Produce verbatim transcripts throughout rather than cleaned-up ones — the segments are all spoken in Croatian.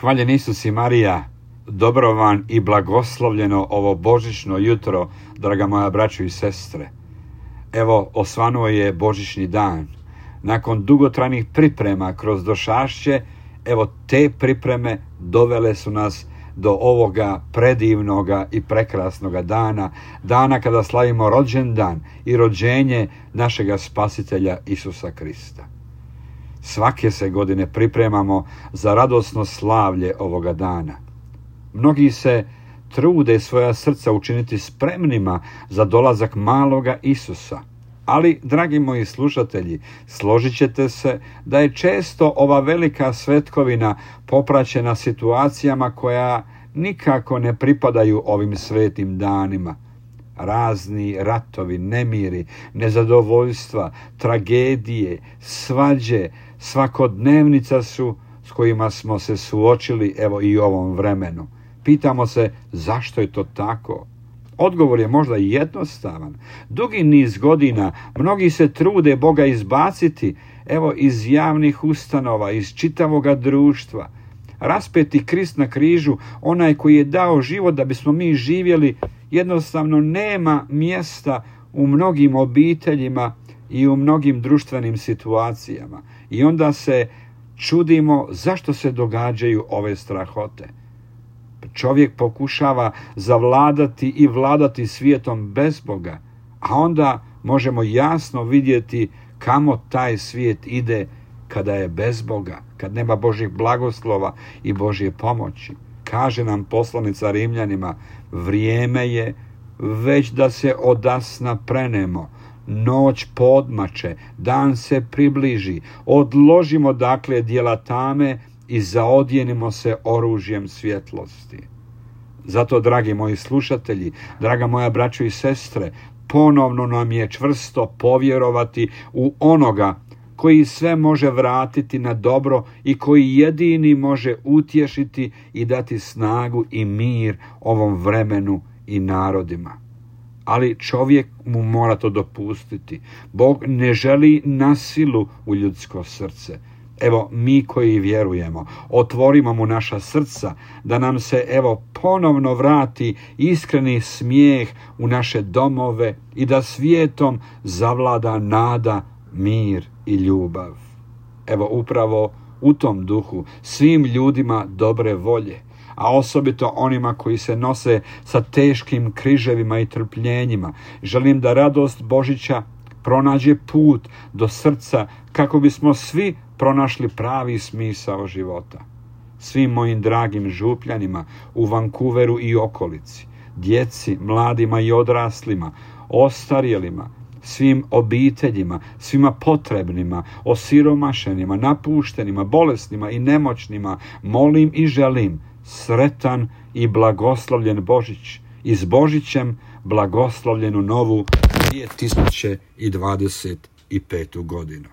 Hvaljen Isus i Marija, dobro vam i blagoslovljeno ovo božićno jutro, draga moja braćo i sestre. Evo, osvanuo je božićni dan. Nakon dugotrajnih priprema kroz došašće, evo te pripreme dovele su nas do ovoga predivnoga i prekrasnoga dana, dana kada slavimo rođendan i rođenje našega Spasitelja Isusa Krista. Svake se godine pripremamo za radosno slavlje ovoga dana. Mnogi se trude svoja srca učiniti spremnima za dolazak maloga Isusa. Ali, dragi moji slušatelji, složit ćete se da je često ova velika svetkovina popraćena situacijama koja nikako ne pripadaju ovim svetim danima. Razni ratovi, nemiri, nezadovoljstva, tragedije, svađe, svakodnevnica su s kojima smo se suočili evo i u ovom vremenu. Pitamo se zašto je to tako? Odgovor je možda jednostavan. Dugi niz godina mnogi se trude Boga izbaciti evo iz javnih ustanova, iz čitavoga društva. Raspeti Krist na križu, onaj koji je dao život da bismo mi živjeli, jednostavno nema mjesta u mnogim obiteljima i u mnogim društvenim situacijama. I onda se čudimo zašto se događaju ove strahote. Čovjek pokušava zavladati i vladati svijetom bez Boga, a onda možemo jasno vidjeti kamo taj svijet ide kada je bez Boga, kad nema Božjih blagoslova i Božje pomoći. Kaže nam poslanica Rimljanima, vrijeme je već da se odasna prenemo, noć podmače, dan se približi, odložimo dakle djela tame i zaodjenimo se oružjem svjetlosti. Zato, dragi moji slušatelji, draga moja braćo i sestre, ponovno nam je čvrsto povjerovati u onoga koji sve može vratiti na dobro i koji jedini može utješiti i dati snagu i mir ovom vremenu i narodima. Ali čovjek mu mora to dopustiti. Bog ne želi nasilu u ljudsko srce. Evo, mi koji vjerujemo, otvorimo mu naša srca, da nam se evo ponovno vrati iskreni smijeh u naše domove i da svijetom zavlada nada, mir i ljubav. Evo, upravo u tom duhu svim ljudima dobre volje, a osobito onima koji se nose sa teškim križevima i trpljenjima, želim da radost Božića pronađe put do srca kako bismo svi pronašli pravi smisao života. Svim mojim dragim župljanima u Vancouveru i okolici, djeci, mladima i odraslima, ostarjelima, svim obiteljima, svima potrebnima, osiromašenima, napuštenima, bolesnima i nemoćnima, molim i želim sretan i blagoslovljen Božić i s Božićem blagoslovljenu novu dvije tisuće dvadeset petu godinu.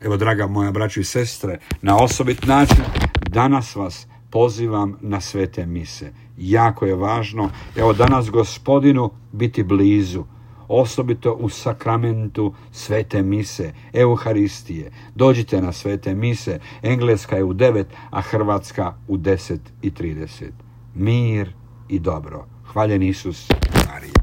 Evo, draga moja braćo i sestre, na osobit način danas vas pozivam na svete mise. Jako je važno, evo danas Gospodinu biti blizu, osobito u sakramentu svete mise, Euharistije. Dođite na svete mise, engleska je u devet, a hrvatska u deset i trideset. Mir i dobro. Hvaljen Isus, Marija.